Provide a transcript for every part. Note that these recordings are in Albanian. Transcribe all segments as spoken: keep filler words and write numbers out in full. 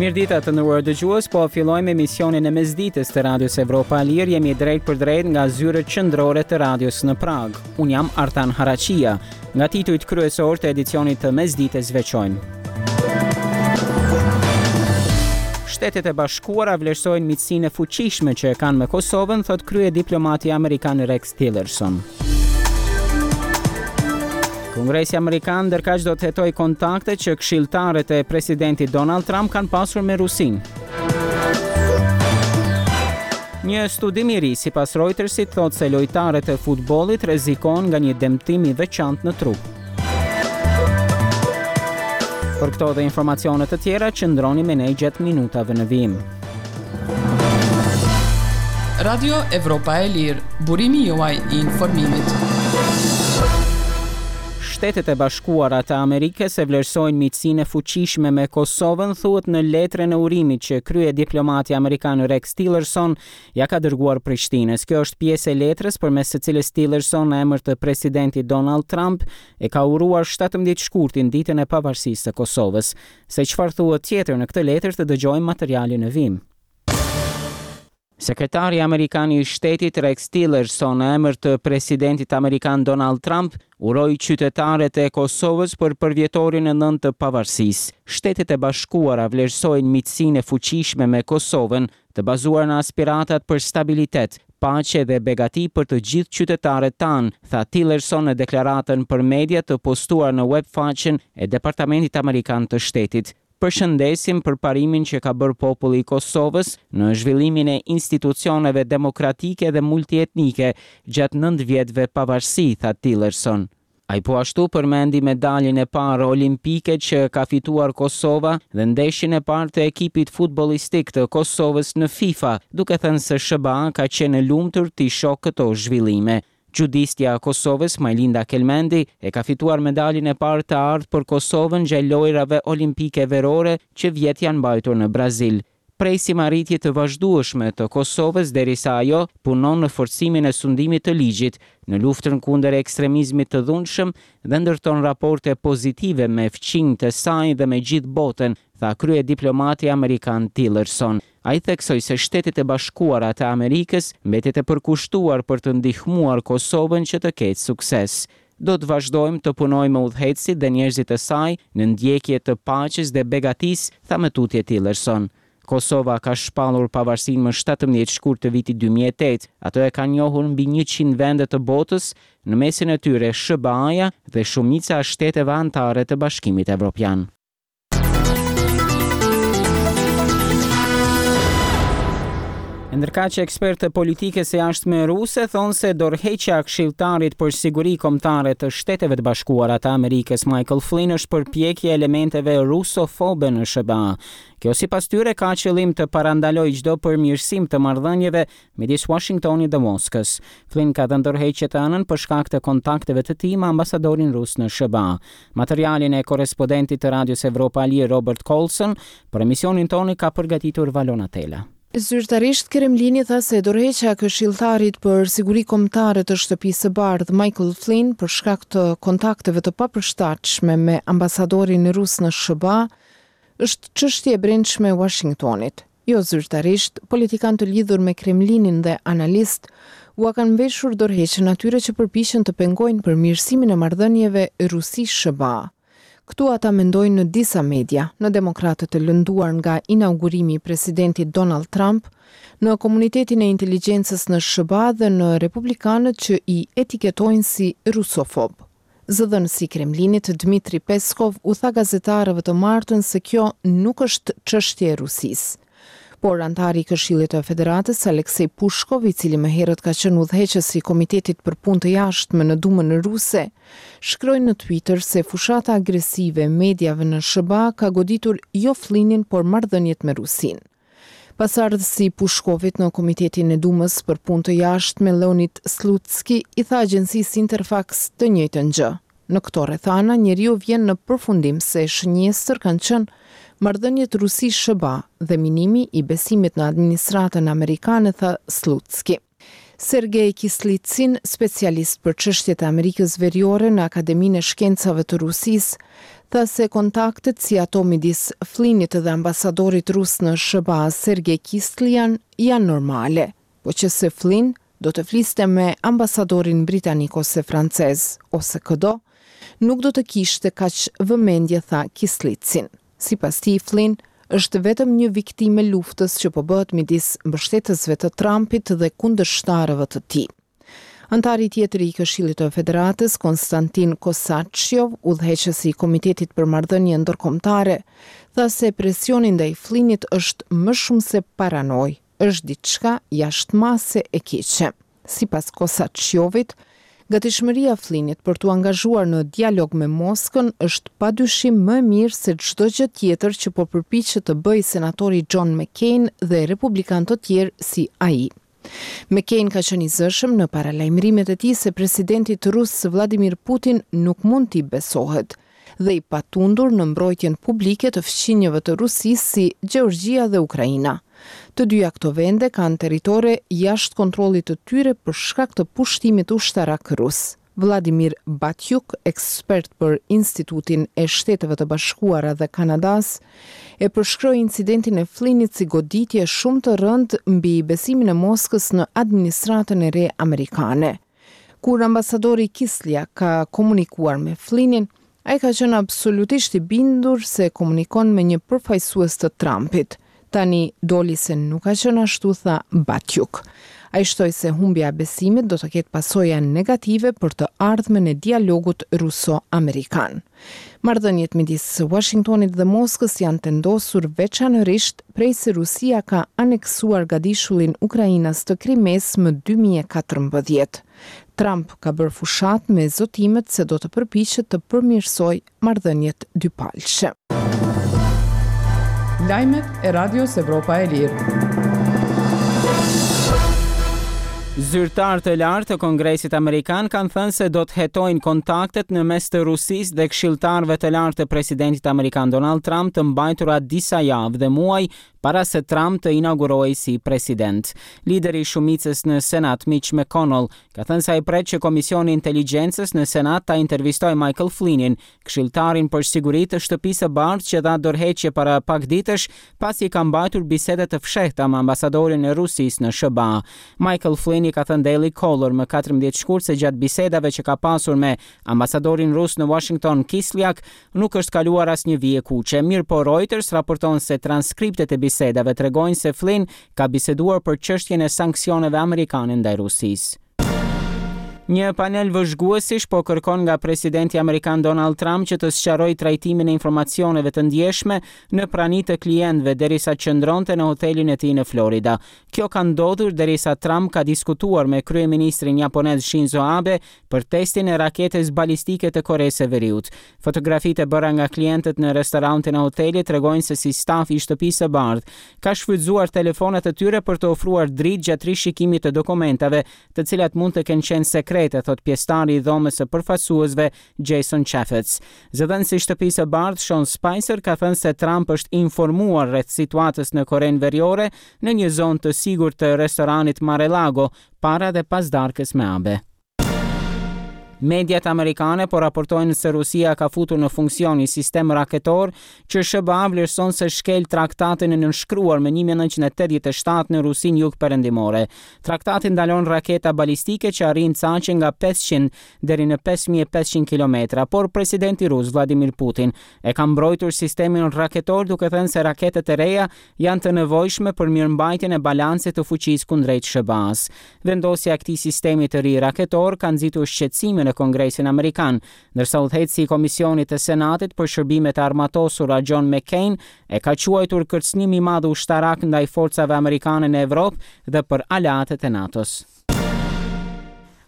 Mirëdita të nderuar dëgjues, po fillojmë emisionin e mesditës të Radios Evropa e Lirë. Jemi drejt për drejt nga zyrët qendrore të radios në Pragë. Unë jam Artan Haraqia. Nga titujt kryesor të edicionit të mesditës veçojmë. Shtetet e Bashkuara vlerësojnë miqësinë e fuqishme që e kanë me Kosovën, thotë kryediplomati amerikan Rex Tillerson. Kongresi Amerikan ndërkaq do të hetojë kontaktet që këshilltarët e presidentit Donald Trump kanë pasur me Rusinë. Një studim i ri sipas Reutersit thotë se lojtarët e futbollit rrezikon nga një dëmtim i veçantë në trup. Për këto dhe informacione të tjera, qëndroni me ne gjatë minutave në vijim. Radio Evropa e Lirë, burimi juaj i informimit. Shtetet e Bashkuara të Amerikës e vlerësojnë miqësinë e fuqishme me Kosovën, thuhet në letrën e urimit që kryediplomati amerikan Rex Tillerson ja ka dërguar Prishtinës. Kjo është pjesë e letrës përmes së cilës Tillerson në emër të presidentit Donald Trump e ka uruar shtatëmbëdhjetë shkurtin, ditën e pavarësisë së Kosovës. Se çfarë thuhet tjetër në këtë letër, të dëgjojmë materialin në vijim. Sekretari amerikan i shtetit Rex Tillerson në emër të presidentit amerikan Donald Trump uroi qytetarët e Kosovës për përvjetorin e nëntë të pavarësisë. Shtetet e Bashkuara vlerësojnë miqësinë e fuqishme me Kosovën, të bazuar në aspiratat për stabilitet, paqe dhe begati për të gjithë qytetarët tanë, tha Tillerson në deklaratën për media të postuar në web faqen e Departamentit Amerikan të Shtetit. Përshëndesim për parimin që ka bërë populli i Kosovës në zhvillimin e institucioneve demokratike dhe multietnike gjatë nëntë vjetëve pavarësi, tha Tillerson. Ai po ashtu përmendi medaljen e parë olimpike që ka fituar Kosova dhe ndeshjen e parë të ekipit futbollistik të Kosovës në FIFA, duke thënë se S H B A ka qenë e lumtur t'i shohë këto zhvillime. Xhudistja e Kosovës, Majlinda Kelmendi, e ka fituar medaljen e parë të artë për Kosovën gjatë lojrave olimpike verore që vjet janë mbajtur në Brazil. Presim arritje të vazhdueshme të Kosovës derisa ajo punon në forcimin e sundimit të ligjit, në luftën kundër ekstremizmit të dhunshëm dhe ndërton raporte pozitive me fqinjët e saj dhe me gjithë botën, tha kryediplomati amerikan Tillerson. Ai theksoi se Shtetet e Bashkuara të Amerikës mbetet e përkushtuar për të ndihmuar Kosovën që të ketë sukses. Do të vazhdojmë të punojmë me udhëheqësit dhe njerëzit e saj në ndjekje të paqes dhe begatisë, tha më tutje Tillerson. Kosova ka shpallur pavarësinë më shtatëmbëdhjetë shkurt të vitit dy mijë e tetë. Ato e kanë njohur mbi njëqind vende të botës, në mesin e tyre S H B A-ja dhe shumica e shteteve anëtare të Bashkimit Evropian. Ndërkaq, ekspertë të politikës së jashtme ruse thonë se dorëheqja e këshilltarit për siguri kombëtare të Shteteve të Bashkuara të Amerikës Michael Flynn është përpjekje e elementeve rusofobe në S H B A. Kjo, sipas tyre, ka qëllim të parandalojë çdo përmirësim të marrëdhënieve midis Washingtonit dhe Moskës. Flynn ka dhënë dorëheqje të hënën për shkak të kontakteve të tij me ambasadorin rus në S H B A. Materialin e korrespondentit të Radios Evropa e Lirë Robert Coulson për emisionin tonë ka përgatitur Valona Tela. Zyrtarisht Kremlini tha se dorëheqja e këshilltarit për siguri kombëtare të Shtëpisë së Bardhë Michael Flynn për shkak të kontakteve të papërshtatshme me ambasadorin rus në S H B A është çështje e brendshme e Washingtonit. Jo zyrtarisht, politikanë të lidhur me Kremlinin dhe analist ua kanë veshur dorëheqjen atyre që përpiqen të pengojnë përmirësimin e marrëdhënieve Rusi-S H B A. Këtu ata mendojnë në disa media, në demokratët e lënduar nga inaugurimi i presidentit Donald Trump, në komunitetin e inteligjencës në S H B A dhe në republikanët që i etiketojnë si rusofob. Zëdhënësi i Kremlinit Dmitri Peskov u tha gazetarëve të martën se kjo nuk është çështje e Rusisë. Por anëtari i Këshillit të Federatës Alexei Pushkov, i cili më herët ka qenë udhëheqës i Komitetit për Punë të Jashtme në Dumën Ruse, shkroi në Twitter se fushata agresive e mediave në S H B A ka goditur jo Flynnin, por marrëdhëniet me Rusinë. Pasardhësi i Pushkovit në Komitetin e Dumës për Punë të Jashtme Leonid Slutski i tha agjencisë Interfax të njëjtën gjë. Në këto rrethana, njeriu vjen në përfundim se shënjestër kanë qenë marrëdhëniet Rusi-S H B A dhe minimi i besimit në administratën amerikane, tha Slutski. Sergej Kislitsin, specialist për çështjet e Amerikës Veriore në Akademinë e Shkencave të Rusisë, tha se kontaktet si ato midis Flynnit dhe ambasadorit rus në S H B A, Sergej Kislyak, janë normale, po që se Flynn do të fliste me ambasadorin britanik ose francez, ose këdo, nuk do të kishte kaq vëmendje, tha Kislitsin. Sipas tij, Flynn është vetëm një viktimë e luftës që po bëhet midis mbështetësve të Trumpit dhe kundërshtarëve të tij. Antari tjetër i Këshillit të Federatës, Konstantin Kosachov, udhëheqës i Komitetit për Marrëdhënie Ndërkombëtare, tha se presioni ndaj Flynnit është më shumë se paranojë, është diçka jashtë mase e keqe. Sipas Kosachovit, gatishmëria Flynnit për t'u angazhuar në dialog me Moskën është padyshim më e mirë se çdo gjë tjetër që po përpiqet të bëjë senatori John McCain dhe republikanë të tjerë si ai. McCain ka qenë i zëshëm në paralajmërimet e tij se presidentit rus Vladimir Putin nuk mund t'i besohet dhe i patundur në mbrojtjen publike të fqinjëve të Rusisë si Gjeorgjia dhe Ukraina. Të dyja këto vende kanë territore jashtë kontrollit të tyre për shkak të pushtimit ushtarak rus. Vladimir Batjuk, ekspert për Institutin e Shteteve të Bashkuara dhe Kanadas, e përshkroi incidentin e Flynnit si goditje shumë të rëndë mbi besimin e Moskës në administratën e re amerikane. Kur ambasadori Kislyak ka komunikuar me Flynnin, ai ka qenë absolutisht i bindur se komunikon me një përfaqësues të Trumpit. Tani doli se nuk ka qenë ashtu, tha Batjuk. Ai shtoi se humbja e besimit do të ketë pasoja negative për të ardhmen e dialogut ruso-amerikan. Marrëdhëniet midis Washingtonit dhe Moskës janë tendosur veçanërisht prej se Rusia ka aneksuar gadishullin ukrainas të Krimes më dy mijë e katërmbëdhjetë. Trump ka bërë fushatë me zotimet se do të përpiqet të përmirësojë marrëdhëniet dypalëshe. Lajmet e Radios Evropa e Lirë. Zyrtar të lartë të Kongresit Amerikan kanë thënë se do të hetojnë kontaktet në mes të Rusisë dhe këshilltarëve të lartë të presidentit amerikan Donald Trump të mbajtura disa javë dhe muaj para se Trump të inaugurohej si president. Lideri i shumicës në Senat, Mitch McConnell, ka thënë se ai pret që Komisioni i Inteligjencës në Senat ta intervistojë Michael Flynnin, këshilltarin për siguri të Shtëpisë së Bardhë që dha dorëheqje para pak ditësh pasi ka mbajtur biseda të fshehta me ambasadorin e Rusisë në S H B A. Michael Flynn i ka thënë Daily Caller më katërmbëdhjetë shkurt se gjatë bisedave që ka pasur me ambasadorin rus në Washington, Kislyak, nuk është kaluar asnjë vijë kuqe. Mirëpo Reuters raporton se transkriptet e bisedave tregojnë se Flynn ka biseduar për çështjen e sanksioneve amerikane ndaj Rusisë. Një panel vëzhguesish po kërkon nga presidenti amerikan Donald Trump që të sqarojë trajtimin e informacioneve të ndjeshme në prani të klientëve derisa qëndronte në hotelin e tij në Florida. Kjo ka ndodhur derisa Trump ka diskutuar me kryeministrin japonez Shinzo Abe për testin e raketës balistike të Koresë së Veriut. Fotografitë e bëra nga klientët në restorantin e hotelit tregojnë se si stafi i Shtëpisë së Bardhë ka shfrytzuar telefonat e tyre për të ofruar dritë gjatë rishikimit të dokumentave, të cilat mund të kenë qenë sekrete, thot pjesëtari i dhomës së përfaqësuesve Jason Chaffetz. Zëdhënësi i Shtëpisë së Bardhë Sean Spicer ka thënë se Trump është informuar rreth situatës në Korenë Veriore në një zonë të sigurt të restoranit Mar-a-Lago para dhe pas darkës me Abe. Mediat amerikane po raportojnë se Rusia ka futur në funksion një sistem raketor që S H B A vlerëson se shkel traktatin e nënshkruar më një mijë e nëntëqind e tetëdhjetë e shtatë në Rusinë jugperëndimore. Traktati ndalon raketa balistike që arrijnë caqe nga pesëqind deri në pesë mijë e pesëqind kilometra, por presidenti rus Vladimir Putin e ka mbrojtur sistemin raketor duke thënë se raketet e reja janë të nevojshme për mirëmbajtjen e balancit të fuqisë kundrejt S H B A-s. Vendosja e këtij sistemi të ri raketor ka nxitur shqetësime në Kongresin Amerikan, ndërsa udhëheqësi i Komisionit të Senatit për Shërbimet e Armatosura John McCain e ka quajtur kërcënim i madh ushtarak ndaj forcave amerikane në Evropë dhe për aleatët e NATO-s.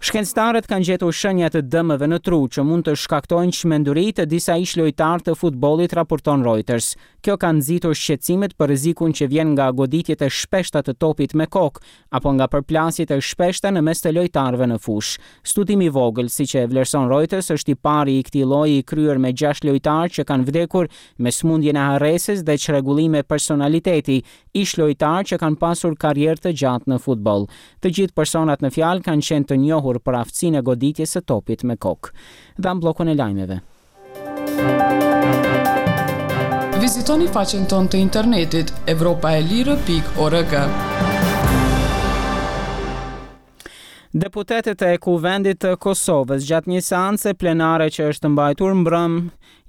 Shkencëtarët kanë gjetur shenja të dëmeve në tru që mund të shkaktojnë çmenduri të disa ish lojtarë të futbollit, raporton Reuters. Kjo ka nxitur shqetësimet për rrezikun që vjen nga goditjet e shpeshta të topit me kokë apo nga përplasjet e shpeshta në mes të lojtarëve në fushë. Studimi i vogël, siç e vlerëson Reuters, është i pari i këtij lloji i kryer me gjashtë lojtarë që kanë vdekur me sëmundjen e harresës dhe çrregullime personaliteti, ish lojtarë që kanë pasur karrierë të gjatë në futboll. Të gjithë personat në fjalë kanë qenë të njohur për aftësinë e goditjes së topit me kokë. Dham bllokun e lajmeve. Vizitoni faqen tonë të internetit evropaelire pikë org. Deputetët e Kuvendit të Kosovës gjatë një seance plenare që është mbajtur mbrëm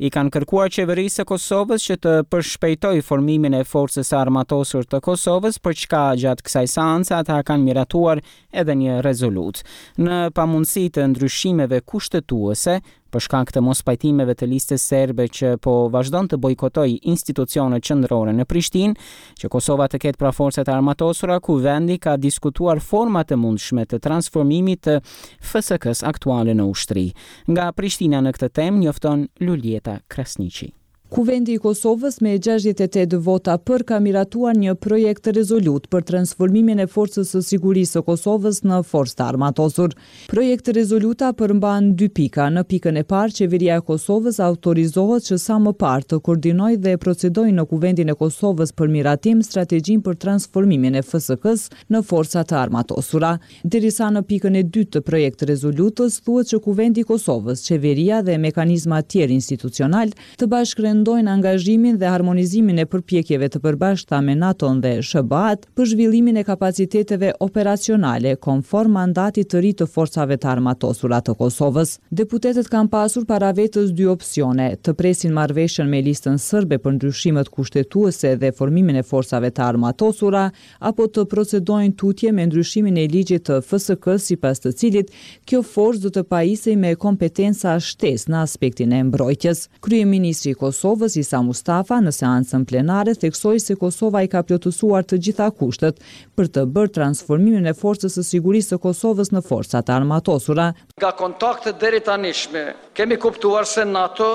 i kanë kërkuar qeverisë së Kosovës që të përshpejtojë formimin e forcës së armatosur të Kosovës, për çka gjatë kësaj seance ata kanë miratuar edhe një rezolutë. Në pamundësi të ndryshimeve kushtetuese, për shkak të mospajtimeve të listës serbe që po vazhdon të bojkotojë institucionet qendrore në Prishtinë, që Kosova të ketë pra forcat e armatosura, Kuvendi ka diskutuar format e mundshme të transformimit të F S K-s aktuale në ushtri. Nga Prishtina në këtë temë njofton Luljeta Krasniqi. Kuvendi i Kosovës me gjashtëdhjetë e tetë vota për ka miratuar një projekt rezolutë për transformimin e Forcës së Sigurisë së Kosovës në forcë të armatosur. Projekt rezoluta përmban dy pika. Në pikën e parë, qeveria e Kosovës autorizohet që sa më parë të koordinojë dhe procedojë në Kuvendin e Kosovës për miratim strategjinë për transformimin e F S K-s në forca të armatosura. Derisa në pikën e dytë të projekt rezolutës thuhet që Kuvendi i Kosovës, qeveria dhe mekanizma tjerë institucional të bashkërendojnë angazhimin dhe harmonizimin e përpjekjeve të përbashkëta me NATO-n dhe S H B A-t për zhvillimin e kapaciteteve operacionale konform mandatit të ri të forcave të armatosura të Kosovës. Deputetët kanë pasur para vetës dy opsione: të presin marrëveshjen me listën serbe për ndryshimet kushtetuese dhe formimin e forcave të armatosura, apo të procedojnë tutje me ndryshimin e ligjit të F S K, sipas të cilit kjo forcë do të pajisej me kompetenca shtesë në aspektin e mbrojtjes. Kryeministri i Kosovës, Isa Mustafa, në seancën plenare theksoi se Kosova i ka plotësuar të gjitha kushtet për të bërë transformimin e Forcës së Sigurisë së Kosovës në forca të armatosura. Nga kontaktet deri tanishme, kemi kuptuar se NATO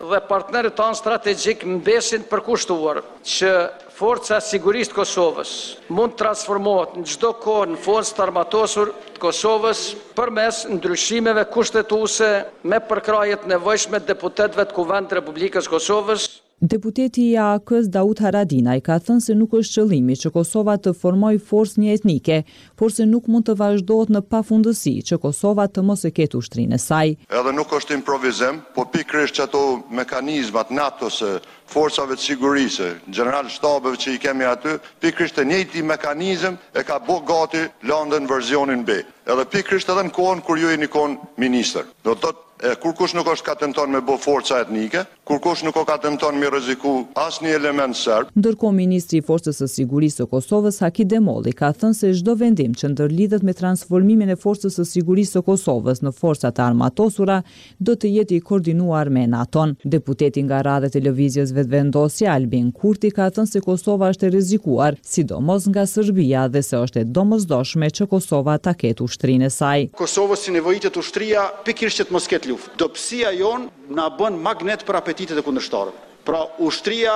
dhe partnerët tanë strategjik mbesin përkushtuar që Forca e Sigurisë të Kosovës mund të transformohet në çdo kohë në forcë të armatosur të Kosovës përmes ndryshimeve kushtetuese me përkrahje të nevojshme të deputetëve të Kuvendit të Republikës së Kosovës. Deputeti i A A K-s Daut Haradinaj ka thënë se nuk është qëllimi që Kosova të formojë forcë një etnike, por se nuk mund të vazhdohet në pafundësi që Kosova të mos e ketë ushtrinë e saj. Edhe nuk është improvizim, po pikërisht që ato mekanizmat NATO-s, forcave të sigurisë, general shtabeve që i kemi aty, pikërisht e njëjti mekanizëm e ka bo gati landën versionin B. Edhe pikërisht edhe në kohën kur ju jeni kon ministër. Do të thotë, e, kur kush nuk është ka tenton me bo forca etnike, kur kush nuk o ka tenton me rreziku asnjë element serb. Ndërkohë, ministri i Forcës së Sigurisë së Kosovës, Haki Demolli, ka thënë se çdo vendim që ndërlidhet me transformimin e Forcës së Sigurisë së Kosovës në forca të armatosura do të jetë i koordinuar me NATO-n. Deputeti nga radhët e Lëvizjes Vetëvendosje, Albin Kurti, ka thënë se Kosova është e rrezikuar, sidomos nga Serbia, dhe se është e domosdoshme që Kosova ta ketë ushtrinë e saj. Kosovës si nevojitet ushtria pikërisht që të mos ketë luftë. Dobësia jonë na bën magnet për apetitet e kundërshtarëve. Pra, ushtria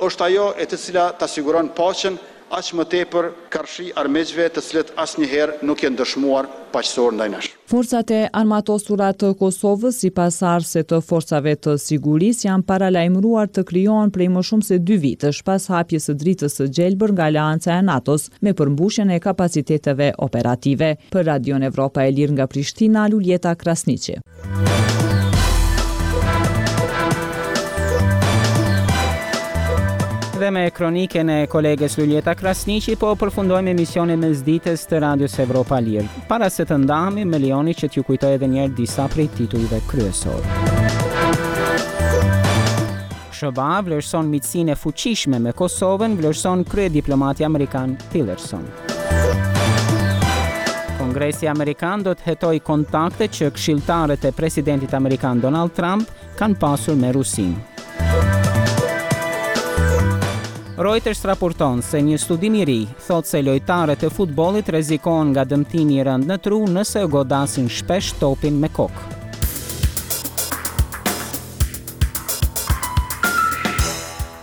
është ajo e të cila ta siguron paqen, aq më tepër karshi armiqve të cilët asnjëherë nuk janë dëshmuar paqësor ndaj nesh. Forcat e armatosura të Kosovës, sipas ardhëse të forcave të sigurisë, janë paralajmëruar të krijohen prej më shumë se dy vitesh pas hapjes së dritës së gjelbër nga Aleanca e NATO-s me përmbushjen e kapaciteteve operative. Për Radion Evropa e Lirë nga Prishtina, Luljeta Krasniqi. Dhe me kronikën e kolegës Luljeta Krasniqi po përfundojmë emisionin mesditës të Radios Evropa Lirë. Para se të ndahemi, më lejoni që t'ju kujtoj edhe një herë disa prej titujve kryesor. S H B A vlerëson miqësinë e fuqishme me Kosovën, vlerëson kryediplomati amerikan Tillerson. Kongresi amerikan do të hetojë kontaktet që këshilltarët e presidentit amerikan Donald Trump kanë pasur me Rusinë. Reuters raporton se një studim i ri thotë se lojtarët e futbollit rrezikohen nga dëmtimi i rëndë në tru nëse godasin shpesh topin me kokë.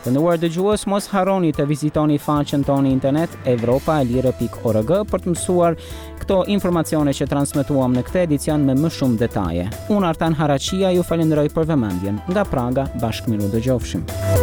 Të nderuar dëgjues, mos harroni të vizitoni faqen tonë internet evropaelire pikë org për të mësuar këto informacione që transmetuam në këtë edicion me më shumë detaje. Unë, Artan Haraqia, ju falenderoj për vëmendjen. Nga Praga, bashkë mirudëgjofshim.